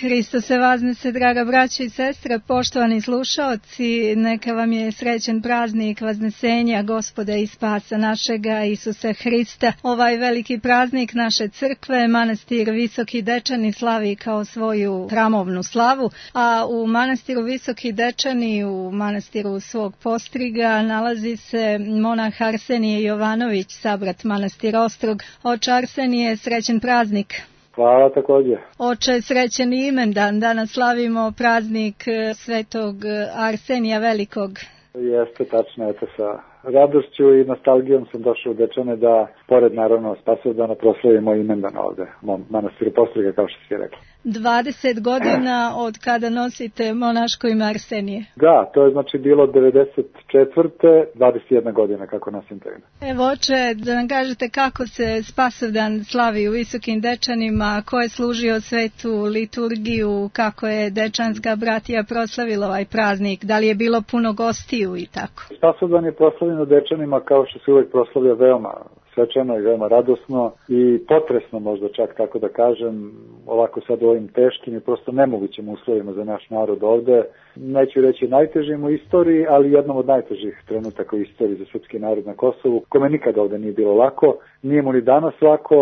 Hristos se vaznese, draga braćo i sestre, poštovani slušaoci, neka vam je srećen praznik Vaznesenja Gospoda i Spasa našega Isusa Hrista. Ovaj veliki praznik naše crkve, manastir Visoki Dečani slavi kao svoju hramovnu slavu, a u manastiru Visoki Dečani, u manastiru svog postriga, nalazi se monah Arsenije Jovanović, sabrat manastir Ostrog. Oče Arsenije, srećen praznik. Hvala također. Oče, srećen imendan, danas slavimo praznik svetog Arsenija Velikog. Jeste, tačno, eto sa radošću i nostalgijom sam došao u Dečane da, pored naravno Spasovdana, proslavimo imendan ovde, u mom manastiru Postriga, kao što si rekla. 20 godina od kada nosite monaško ime Arsenije. Da, to je znači bilo 94. 21 godina kako nosim to ime. Evo, oče, da nam kažete kako se Spasovdan slavi u Visokim Dečanima, ko je služio svetu liturgiju, kako je Dečanska bratija proslavila ovaj praznik, da li je bilo puno gostiju i tako? Spasovdan je proslavljen u Dečanima kao što se uvek proslavlja veoma svečano i veoma radosno i potresno, možda čak tako da kažem, ovako sad u ovim teškim i prosto nemogućim uslovima za naš narod ovde. Neću reći najtežim u istoriji, ali jednom od najtežih trenutaka u istoriji za srpski narod na Kosovu, kome nikada ovde nije bilo lako, nije mu ni danas lako.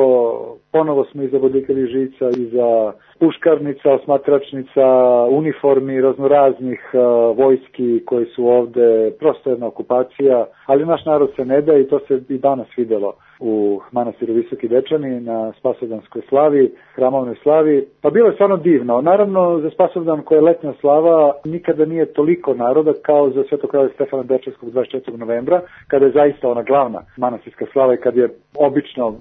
Ponovo smo iza bodljikavih žica, iza puškarnica, osmatračnica, uniformi raznoraznih vojski koji su ovde, prosto jedna okupacija, ali naš narod se ne da i to se i danas videlo u manastiru Visoki Dečani na Spasovdanskoj slavi, hramovnoj slavi. Pa bilo je stvarno divno. Naravno, za Spasovdan koja je letnja slava nikada nije toliko naroda kao za Svetog kralja Stefana Dečanskog 24. novembra, kada je zaista ona glavna manastirska slava i kad je obično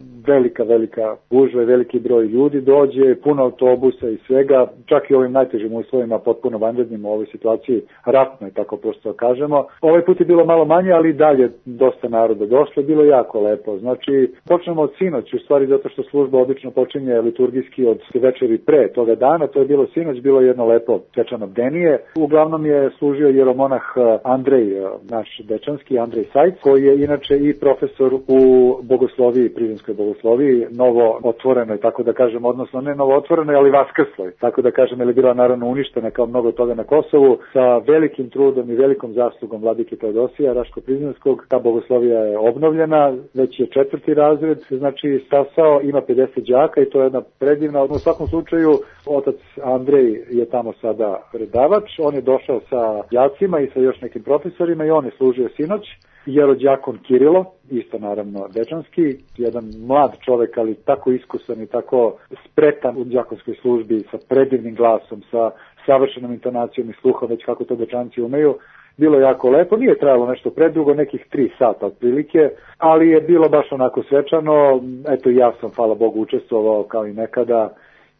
velika gužva i veliki broj ljudi dođe, puno autobusa i svega, čak i ovim najtežim uslovima, potpuno vanrednim u ovoj situaciji, ratno je tako prosto kažemo. Ovaj put je bilo malo manje, ali dalje dosta naroda došlo, bilo jako lepo. Znači, počnemo od sinoć, u stvari zato što služba obično počinje liturgijski od večeri pre toga dana, to je bilo sinoć, bilo jedno lepo svečano bdenije. Uglavnom je služio jeromonah Andrej, naš dečanski Andrej Sajc, koji je inače i profesor u bogosloviji, Prizrenskoj bogosloviji, novo otvorenoj, tako da kažem, odnosno ne novo otvorenoj, ali vaskrsloj, tako da kažem, jer je bila naravno uništena kao mnogo toga na Kosovu, sa velikim trudom i velikom zaslugom vladike Teodosija Raško-Prizrenskog. Ta bogoslovija je obnovljena, već je 4. razred, znači stasao, ima 50 đaka i to je jedna predivna. U svakom slučaju, otac Andrej je tamo sada predavač, on je došao sa đacima i sa još nekim profesorima i on je služio sinoć. Jerođakon Kirilo, isto naravno dečanski, jedan mlad čovek, ali tako iskusan i tako spretan u đakonskoj službi, sa predivnim glasom, sa savršenom intonacijom i sluhom, već kako to dečanci umeju. Bilo je jako lepo, nije trajalo nešto predugo, nekih 3 sata otprilike, ali je bilo baš onako svečano. Eto, ja sam, hvala Bogu, učestvovao kao i nekada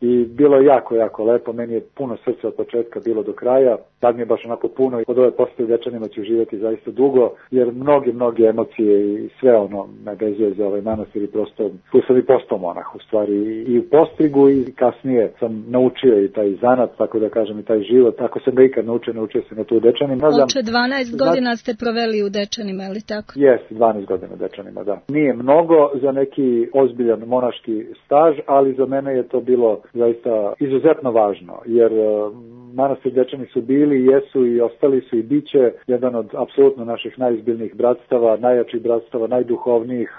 i bilo je jako lepo. Meni je puno srca od početka bilo do kraja, sad mi je baš onako puno i od ove postave Dečanima ću živjeti zaista dugo, jer mnoge emocije i sve ono me vezuje za ovaj manastir i prosto tu sam i postao monah u stvari i u Postrigu i kasnije sam naučio i taj zanat, tako da kažem, i taj život. Ako sam ga ikad naučio sam ga tu u Dečanima. Oče, 12 godina ste proveli u Dečanima, ali tako? Jeste, 12 godina u Dečanima, da. Nije mnogo za neki ozbiljan monaški staž, ali za mene je to bilo zaista izuzetno važno, jer manastir Dečani su bili, jesu i ostali su i biće jedan od apsolutno naših najizbiljnijih bratstava, najjačih bratstava, najduhovnijih,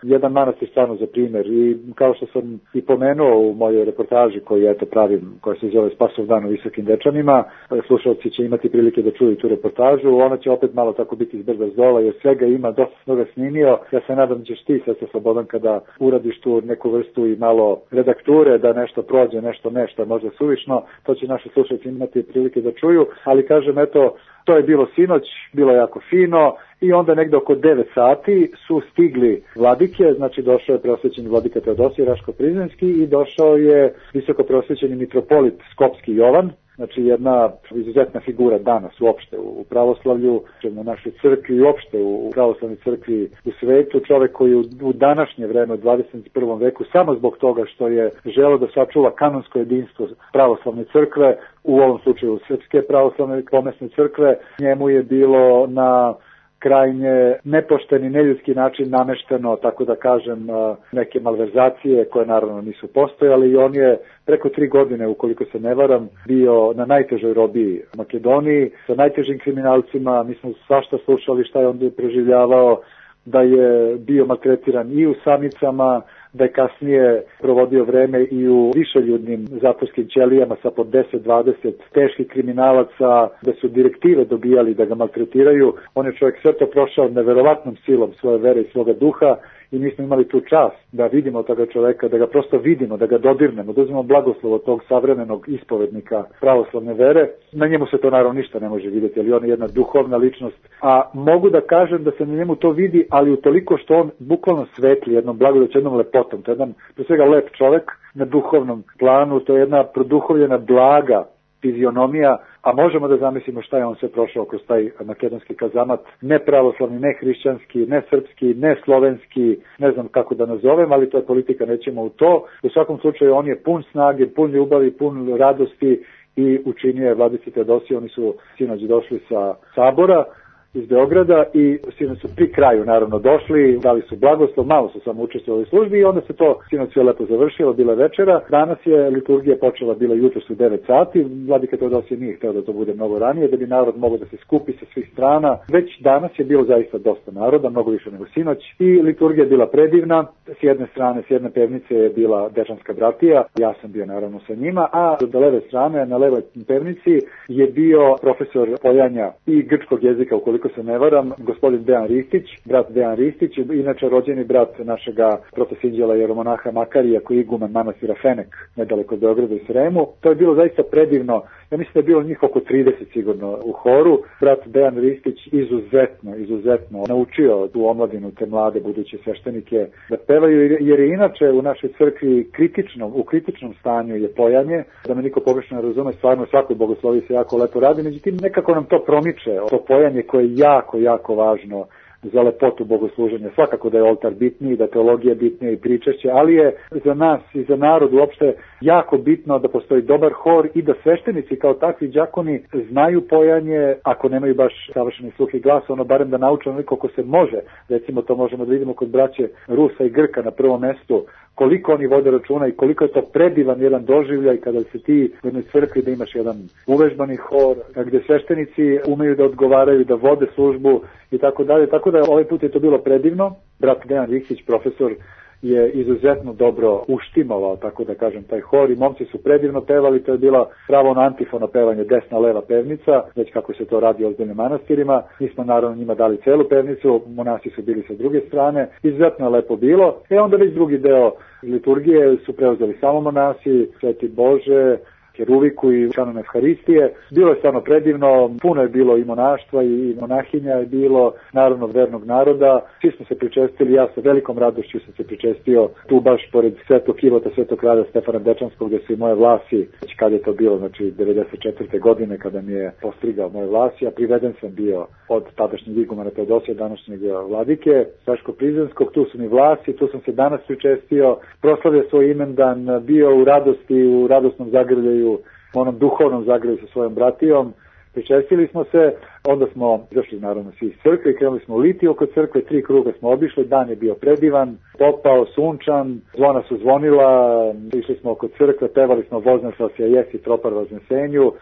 jedan manastir stvarno za primjer. I kao što sam i pomenuo u mojoj reportaži koju eto pravim, koja se zove Spasovdan u Visokim Dečanima, slušalci će imati prilike da čuju tu reportažu, ona će opet malo tako biti izbrda zdola, jer svega ima, dosta mnogo snimio. Ja se nadam da ćeš ti, Sestra Slobodan, kada uradiš tu neku vrstu i malo redakture, da nešto prođe, nešto možda suvišno, to će naši slušalci imati prilike da čuju, ali kažem, eto, to je bilo sinoć, bilo jako fino i onda negde oko 9 sati su stigli vladike, znači došao je preosvećeni vladika Teodosije Raško-Prizrenski i došao je visoko preosvećeni mitropolit Skopski Jovan, znači jedna izuzetna figura danas uopšte u pravoslavlju, na našoj crkvi i uopšte u pravoslavnoj crkvi u svetu, čovek koji u današnje vreme u 21. veku, samo zbog toga što je želeo da sačuva kanonsko jedinstvo pravoslavne crkve, u ovom slučaju Srpske pravoslavne pomesne crkve, njemu je bilo na krajnje nepošteni, neljudski način namešteno, tako da kažem, neke malverzacije koje naravno nisu postojale i on je preko 3 godine, ukoliko se ne varam, bio na najtežoj robiji Makedoniji, sa najtežim kriminalcima. Mi smo svašta slušali šta je on preživljavao, da je bio maltretiran i u samnicama, da je kasnije provodio vreme i u višeljudnim zatvorskim ćelijama sa po 10-20 teških kriminalaca, da su direktive dobijali da ga maltretiraju. On je čovjek sve to prošao neverovatnom silom svoje vere i svoga duha i mi smo imali tu čast da vidimo toga čoveka, da ga prosto vidimo, da ga dodirnemo, da uzmemo blagoslov od tog savremenog ispovednika pravoslavne vere. Na njemu se to naravno ništa ne može vidjeti, ali on je jedna duhovna ličnost. A mogu da kažem da se na njemu to vidi, ali utoliko što on bukvalno svetli jednom blagodaću, jednom lepotom. To je jedan, pre svega, lep čovek na duhovnom planu, to je jedna produhovljena blaga fizionomija, a možemo da zamislimo šta je on sve prošao kroz taj makedonski kazamat, ne pravoslavni, ne hrišćanski, ne srpski, ne slovenski, ne znam kako da nazovem, ali to je politika, nećemo u to. U svakom slučaju on je pun snage, pun ljubavi, pun radosti i učinio je Vladici Teodosije. Oni su sinoć došli sa Sabora iz Beograda i sinoć su pri kraju naravno došli, dali su blagoslov, malo su samo učestvovali u službi i onda se to sinoć sve lepo završilo, bila večera. Danas je liturgija počela, bila jutros u 9 sati, Vladika Teodosije nije hteo da to bude mnogo ranije, da bi narod mogao da se skupi sa svih strana. Već danas je bilo zaista dosta naroda, mnogo više nego sinoć i liturgija je bila predivna. S jedne strane, s jedne pevnice je bila Dečanska bratija, ja sam bio naravno sa njima, a do leve strane, na levoj pevnici je bio profesor pojanja i grčkog jezika, ukoliko se ne varam, gospodin Dejan Ristić, brat Dejan Ristić, inače rođeni brat našega protosinđela jeromonaha Makarija, koji je iguman manastira Fenek, nedaleko od Beograda i Sremu. To je bilo zaista predivno. Ja mislim da je bilo njih oko 30 sigurno u horu. Brat Dejan Ristić izuzetno naučio tu omladinu, te mlade buduće sveštenike da pevaju, jer je inače u našoj crkvi u kritičnom stanju je pojanje, da me niko pogrešno ne razume, stvarno svakoj bogoslovi se jako lepo radi, međutim nekako nam to promiče, to pojanje koje je jako važno za lepotu bogosluženja. Svakako da je oltar bitniji, da je teologija bitnija i pričešće, ali je za nas i za narod uopšte jako bitno da postoji dobar hor i da sveštenici kao takvi đakoni znaju pojanje, ako nemaju baš savršeni sluh i glas, ono barem da nauče onoliko ko se može. Recimo to možemo da vidimo kod braće Rusa i Grka na prvom mestu, koliko oni vode računa i koliko je to predivan jedan doživljaj kada se ti u jednoj crkvi da imaš jedan uvežbani hor, gdje sveštenici umeju da odgovaraju, da vode službu i tako dalje. Tako da ovaj put je to bilo predivno. Brat Dejan Ristić, profesor, je izuzetno dobro uštimovao, tako da kažem, taj hor i momci su predivno pevali. To je bila pravo na antifono pevanje, desna leva pevnica, već kako se to radi u ozbiljnim manastirima. Mi smo naravno njima dali celu pevnicu, monasi su bili sa druge strane, izuzetno je lepo bilo. Onda već drugi deo liturgije su preuzeli samo monasi, Sveti Bože, Keruviku i kanon Evharistije. Bilo je stvarno predivno, puno je bilo i monaštva i monahinja je bilo, naravno vernog naroda. Svi smo se pričestili, ja sa velikom radošću sam se pričestio tu baš pored Svetog Kivota, Svetog kralja Stefana Dečanskog, gdje su i moje vlasi, već kad je to bilo, znači 94. godine kada mi je postrigao moje vlasi, a priveden sam bio od tadašnjeg igumana Teodosija, današnjeg vladike Saško-Prizrenskog. Tu su mi vlasi, tu sam se danas pričestio, proslavio svoj imendan, bio u radosti, u radosnom zagrljaju, u onom duhovnom zagrlju sa svojom bratijom. Pričestili smo se, onda smo izašli naravno svi iz crkve, krenuli smo u litiju oko crkve, 3 kruga smo obišli, dan je bio predivan, topao, sunčan, zvona su zvonila, išli smo oko crkve, pevali smo Voznešavsja jesi tropar Vaznesenju,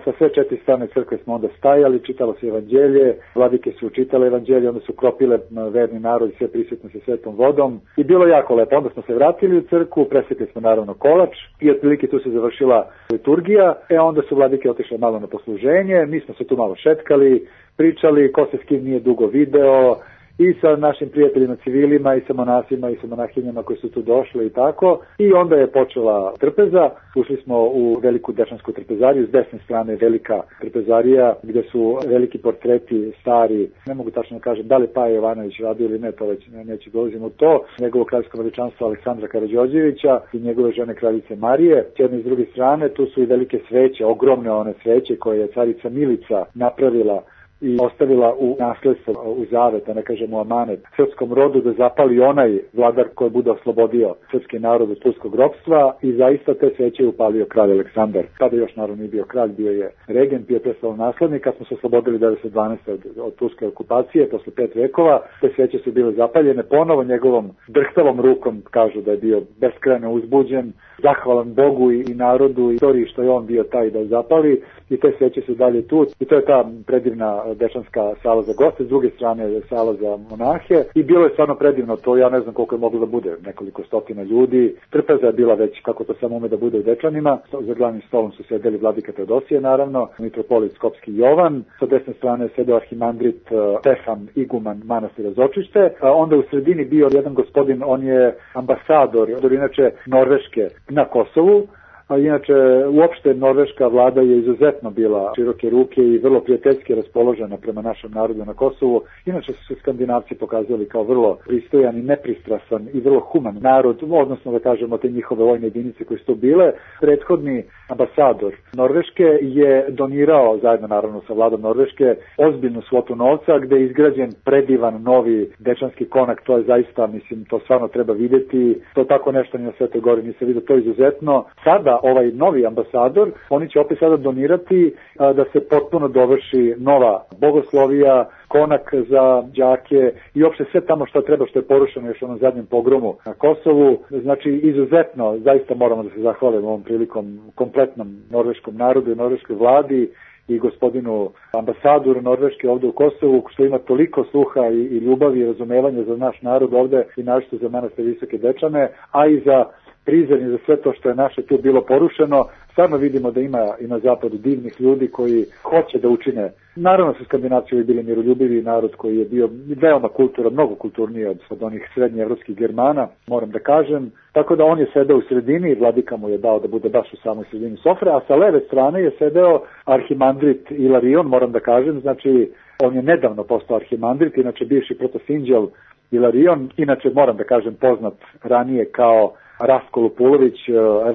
sa sve 4 strane crkve smo onda stajali, čitalo se evanđelje, vladike su čitale evanđelje, onda su kropile verni narod i sve prisutno sa svetom vodom i bilo jako lepo. Onda smo se vratili u crkvu, presvetili smo naravno kolač i otprilike tu se završila liturgija, onda su vladike otišle malo na posluženje, mi smo se tu malo šetkali, pričali, ko se s kim nije dugo video, i sa našim prijateljima civilima, i sa monasima, i sa monahinjama koji su tu došli i tako. I onda je počela trpeza, ušli smo u veliku dešansku trpezariju, s desne strane velika trpezarija, gdje su veliki portreti stari, ne mogu tačno kažem da li Paja Jovanović radio ili ne, to već neću dolazim u to, njegovo kraljevsko veličanstvo Aleksandra Karađorđevića i njegove žene kraljice Marije. S jedne i s druge strane tu su i velike sveće, ogromne one sveće koje je carica Milica napravila i ostavila u nasledstvo, u zavet, da ne kažemo amanet, srpskom rodu da zapali onaj vladar koji bude oslobodio srpski narod od turskog ropstva i zaista te sveće je upalio kralj Aleksandar. Tada još naravno nije bio kralj, bio je regent, bio je predstavljen naslednik, kad smo se oslobodili 1912. od turske okupacije, posle 5 vekova, te sveće su bile zapaljene ponovo njegovom drhtavom rukom, kažu da je bio beskrajno uzbuđen, zahvalan Bogu i narodu i istoriji što je on bio taj da zapali i te sveće su dalje tu i to je ta predivna dečanska sala za goste, s druge strane je sala za monahe i bilo je stvarno predivno to, ja ne znam koliko je moglo da bude, nekoliko stotina ljudi, trpeza je bila već kako to samo ume da bude u Dečanima, za glavnim stolom su sedeli vladika Teodosije naravno, mitropolit Skopski Jovan, sa desne strane sedeo arhimandrit Stefan Iguman manastira Zočište, a onda u sredini bio jedan gospodin, on je ambasador, inače Norveške na Kosovu, a inače uopšte norveška vlada je izuzetno bila široke ruke i vrlo prijateljski raspoložena prema našem narodu na Kosovu. Inače su se Skandinavci pokazali kao vrlo pristojan i nepristrasan i vrlo human narod, odnosno da kažemo te njihove vojne jedinice koje su to bile. Prethodni ambasador Norveške je donirao, zajedno naravno sa vladom Norveške, ozbiljnu svotu novca gde je izgrađen predivan novi dečanski konak, to je zaista, mislim, to stvarno treba videti, to tako nešto ni na Svetoj Gori nisi vidio, to je izuzetno. Sada ovaj novi ambasador, oni će opet sada donirati da se potpuno dovrši nova bogoslovija, konak za đake i uopšte sve tamo što treba, što je porušeno još u onom zadnjem pogromu na Kosovu. Znači, izuzetno, zaista moramo da se zahvalimo ovom prilikom kompletnom norveškom narodu i norveškoj vladi i gospodinu ambasadoru Norveške ovde u Kosovu, što ima toliko sluha i ljubavi i razumevanja za naš narod ovde i našto za manastir Visoke Dečane, a i za prizemlje za sve to što je naše tu bilo porušeno. Stvarno vidimo da ima i na zapadu divnih ljudi koji hoće da učine. Naravno su Skandinavci bili miroljubivi narod koji je bio veoma kulturan, mnogo kulturniji od onih srednjeevropskih Germana, moram da kažem. Tako da on je sedeo u sredini i vladika mu je dao da bude baš u samoj sredini sofre, a sa leve strane je sedeo arhimandrit Ilarion, moram da kažem, znači on je nedavno postao arhimandrit, inače bivši protosinđel Ilarion, inače moram da kažem poznat ranije kao Rastko Lupulović,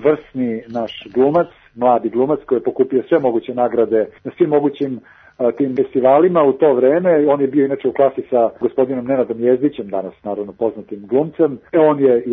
vrsni naš glumac, mladi glumac koji je pokupio sve moguće nagrade na svim mogućim tim festivalima u to vreme. On je bio inače u klasi sa gospodinom Nenadom Jezdićem, danas naravno poznatim glumcem. On je,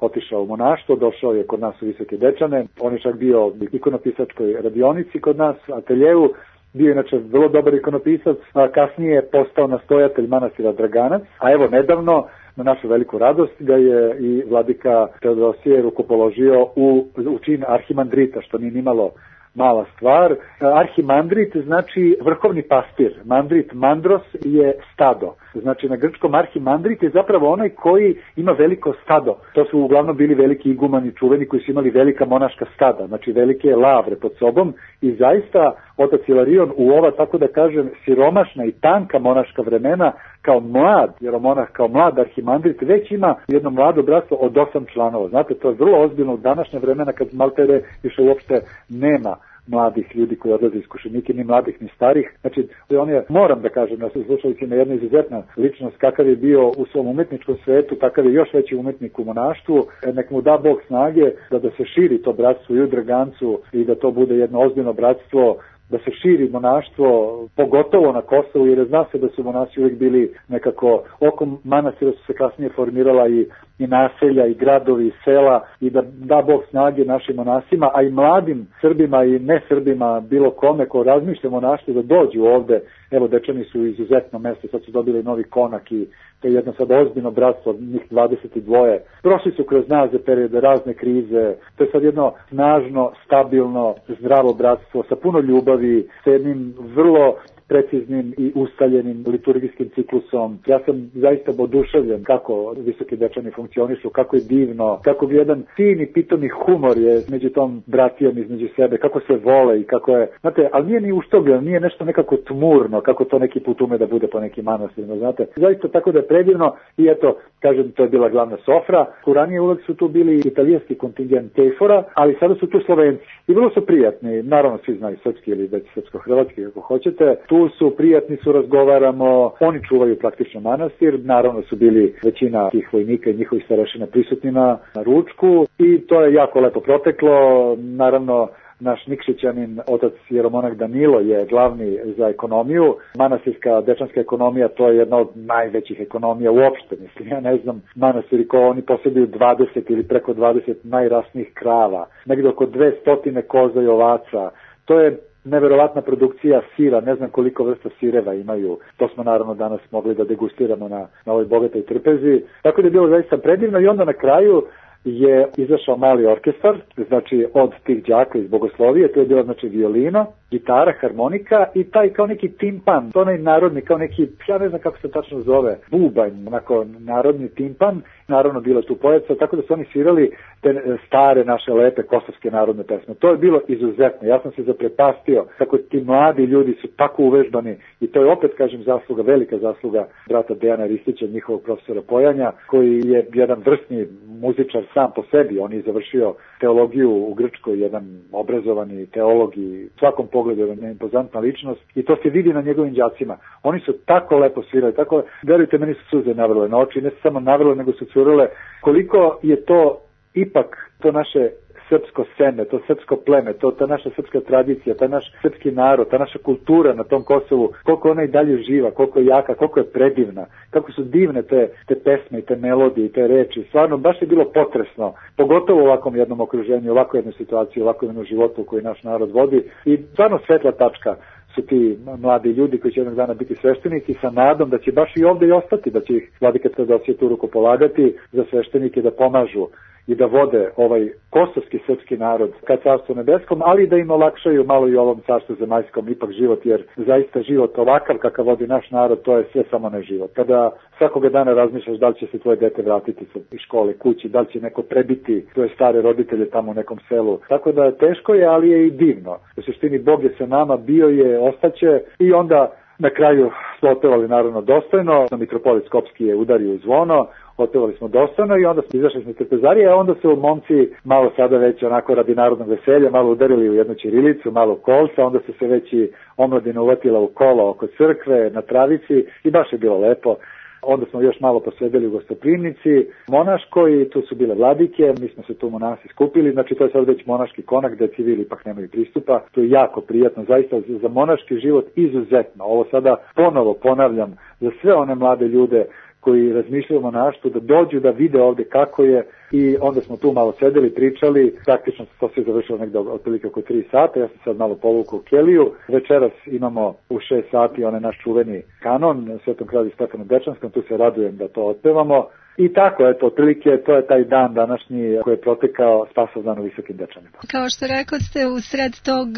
otišao u monaštvo, došao je kod nas u Visoke Dečane. On je čak bio u ikonopisačkoj radionici kod nas, ateljevu. Bio inače vrlo dobar ikonopisac, a kasnije je postao nastojatelj manastira Draganac, a evo nedavno na našu veliku radost ga je i vladika Teodosije rukopoložio u čin arhimandrita, što nije nimalo mala stvar. Arhimandrit znači vrhovni pastir. Mandrit, mandros je stado. Znači na grčkom arhimandrit je zapravo onaj koji ima veliko stado. To su uglavnom bili veliki igumani čuveni koji su imali velika monaška stada, znači velike lavre pod sobom i zaista otac Ilarion u ova, tako da kažem, siromašna i tanka monaška vremena kao mlad, jeromonah kao mlad arhimandrit već ima jedno mlado bratstvo od 8 članova. Znate, to je vrlo ozbiljno u današnje vremena kad maltere više uopšte nema mladih ljudi koji odlaze iskušenike, ni mladih ni starih. Znači, on je, moram da kažem, da su slušalicima jedna izuzetna ličnost, kakav je bio u svom umetničkom svetu, takav je još veći umetnik u monaštvu. Nek mu da Bog snage da se širi to bratstvo i u Dragancu i da to bude jedno ozbiljno bratstvo, da se širi monaštvo, pogotovo na Kosovu, jer zna se da su monasi uvijek bili nekako, oko manastira su se kasnije formirala i naselja, i gradovi, i sela, i da Bog snage našim monasima, a i mladim Srbima i ne Srbima, bilo kome ko razmišlja monaštvo da dođu ovde. Evo, Dečani su izuzetno mesto, sad su dobili novi konak i to je jedno sad ozbiljno bratstvo, njih 22. Prošli su kroz nazad periode, razne krize, to je sad jedno snažno, stabilno, zdravo bratstvo sa puno ljubavi, sa jednim vrlo preciznim i ustaljenim liturgijskim ciklusom. Ja sam zaista oduševljen kako Visoki Dečani funkcionišu, kako je divno, kako bi jedan fin i pitomi humor je među tom bratijom između sebe, kako se vole i kako je, znate, ali nije ni uštogljeno, nije nešto nekako tmurno, kako to neki put ume da bude po nekim manastirima, znate. Zaista tako da je predivno i eto, kažem, to je bila glavna sofra. Ranije uvek su tu bili italijanski kontingent Tejfora, ali sada su tu Slovenci. I vrlo su prijatni, naravno svi znaju srpski ili već srpsko-hrvatski, kako hoćete. Tu su prijatni, su razgovaramo, oni čuvaju praktično manastir, naravno su bili većina tih vojnika i njihovih starešina prisutni na ručku i to je jako lepo proteklo, naravno naš Nikšićanin, otac jeromonah Danilo je glavni za ekonomiju. Manastirska dečanska ekonomija, to je jedna od najvećih ekonomija uopšte, mislim, ja ne znam, manastiri ko oni posjeduju 20 ili preko 20 najrasnijih krava, negdje oko 200 koza i ovaca. To je neverovatna produkcija sira, ne znam koliko vrsta sireva imaju. To smo naravno danas mogli da degustiramo na ovoj bogatoj trpezi. Tako da je bilo zaista predivno i onda na kraju je izašao mali orkestar, znači od tih đaka iz bogoslovije, to je bilo znači violino, gitara, harmonika i taj kao neki timpan, to onaj narodni, kao neki, ja ne znam kako se tačno zove, bubanj, onako narodni timpan, naravno bilo tu pojeca, tako da su oni svirali te stare naše lepe kosovske narodne pesme. To je bilo izuzetno, ja sam se zaprepastio kako ti mladi ljudi su tako uvežbani i to je opet, kažem, zasluga, velika zasluga brata Dejana Ristića, njihovog profesora pojanja, koji je jedan vrsni muzičar sam po sebi, on je završio teologiju u Grčkoj, jedan obrazovani teolog i u svakom pogledu jedna impozantna ličnost i to se vidi na njegovim đacima. Oni su tako lepo svirali, tako, verujte, meni su suze navrle na oči, ne samo navrle, nego su curile. Koliko je to ipak to naše srpsko seme, to srpsko pleme, ta naša srpska tradicija, taj naš srpski narod, ta naša kultura na tom Kosovu, koliko ona i dalje živa, koliko je jaka, koliko je predivna, kako su divne te pesme i te melodije i te reči. Stvarno, baš je bilo potresno, pogotovo u ovakvom jednom okruženju, ovakvu jednu situaciju, ovakvu jednu životu koju naš narod vodi i stvarno svetla tačka su ti mladi ljudi koji će jednog dana biti sveštenici sa nadom da će baš i ovdje i ostati, da će ih vladika Teodosije tu ruku polagati za sveštenike da pomažu i da vode ovaj kosovski srpski narod ka carstvu nebeskom, ali da im olakšaju malo i ovom carstvu zemaljskom ipak život, jer zaista život ovakav kakav vodi naš narod, to je sve samo ne život. Kada svakoga dana razmišljaš da li će se tvoje dete vratiti iz škole kući, da li će neko prebiti tvoje stare roditelje tamo u nekom selu. Tako da teško je, ali je i divno. U suštini Bog je sa nama, bio je, ostaće i onda na kraju smo otpevali naravno dostojno, mitropolit Skopski je udario u zvono, otpevali smo dostojno i onda smo izašli iz trpezarije, a onda su momci malo sada već onako radi narodnog veselja, malo udarili u jednu ćirilicu, malo kolca, onda su se već i omladina uvatila u kolo oko crkve, na travici i baš je bilo lepo. Onda smo još malo posedeli u gostoprimnici monaškoj, tu su bile vladike, mi smo se tu monasi skupili, znači to je sad već monaški konak gde civili ipak nemaju pristupa, to je jako prijatno, zaista za monaški život izuzetno. Ovo sada ponovo ponavljam za sve one mlade ljude koji razmišljaju o monaštvu, da dođu da vide ovdje kako je i onda smo tu malo sedeli, pričali, praktično to se završilo negdje otprilike oko 3 sata, ja sam sad malo povukao u keliju, večeras imamo u 6 sati onaj naš čuveni kanon, Svetom kralju Stefanu Dečanskom, tu se radujem da to otpevamo. I tako, eto, otprilike to je taj dan današnji koji je protekao Spasovdan u Visokim Dečanima. Kao što rekoste, u sred tog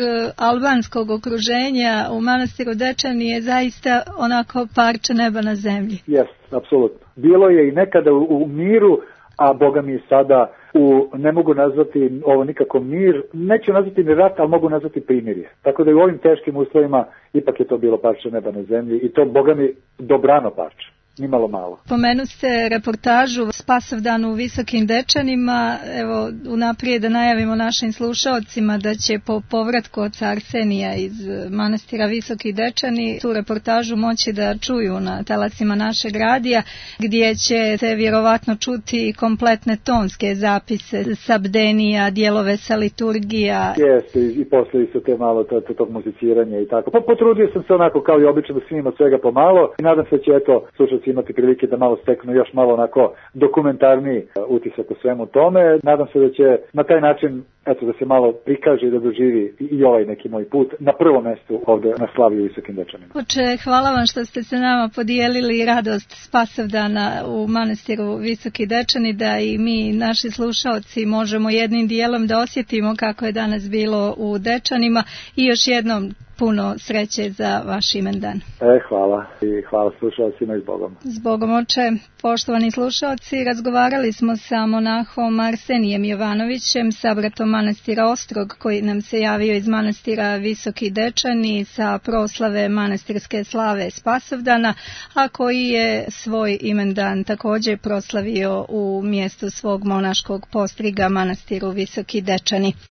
albanskog okruženja u manastiru Dečani je zaista onako parče neba na zemlji. Jest, apsolutno. Bilo je i nekada u miru, a Boga mi sada ne mogu nazvati ovo nikako mir, neću nazvati ni rat, ali mogu nazvati primirje. Tako da i u ovim teškim uslovima ipak je to bilo parče neba na zemlji i to Boga mi dobrano parče. Nimalo malo. Pomenu ste reportažu Spasovdan u Visokim Dečanima. Evo, unaprijed da najavimo našim slušaocima da će po povratku oca Arsenija iz manastira Visoki Dečani tu reportažu moći da čuju na talasima našeg radija, gdje će se vjerovatno čuti kompletne tonske zapise sa bdenija, dijelove sa liturgija. Jeste, i posle su te malo tog muziciranja i tako. Pa potrudio sam se onako kao i obično da snimam od svega pomalo i nadam se će slušaoci imati prilike da malo steknu još malo onako dokumentarni utisak u svemu tome. Nadam se da će na taj način da se malo prikaže i da doživi i ovaj neki moj put na prvom mjestu ovdje na slavi u Visokim Dečanima. Oče, hvala vam što ste se nama podijelili radost Spasovdana u manastiru Visoki Dečani, da i mi, naši slušaoci, možemo jednim dijelom da osjetimo kako je danas bilo u Dečanima i još jednom puno sreće za vaš imendan. Hvala i hvala slušalcima i s Bogom. S Bogom, oče. Poštovani slušalci, razgovarali smo sa monahom Arsenijem Jovanovićem, sabratom manastira Ostrog, koji nam se javio iz manastira Visoki Dečani sa proslave manastirske slave Spasovdana, a koji je svoj imendan također proslavio u mjestu svog monaškog postriga, manastiru Visoki Dečani.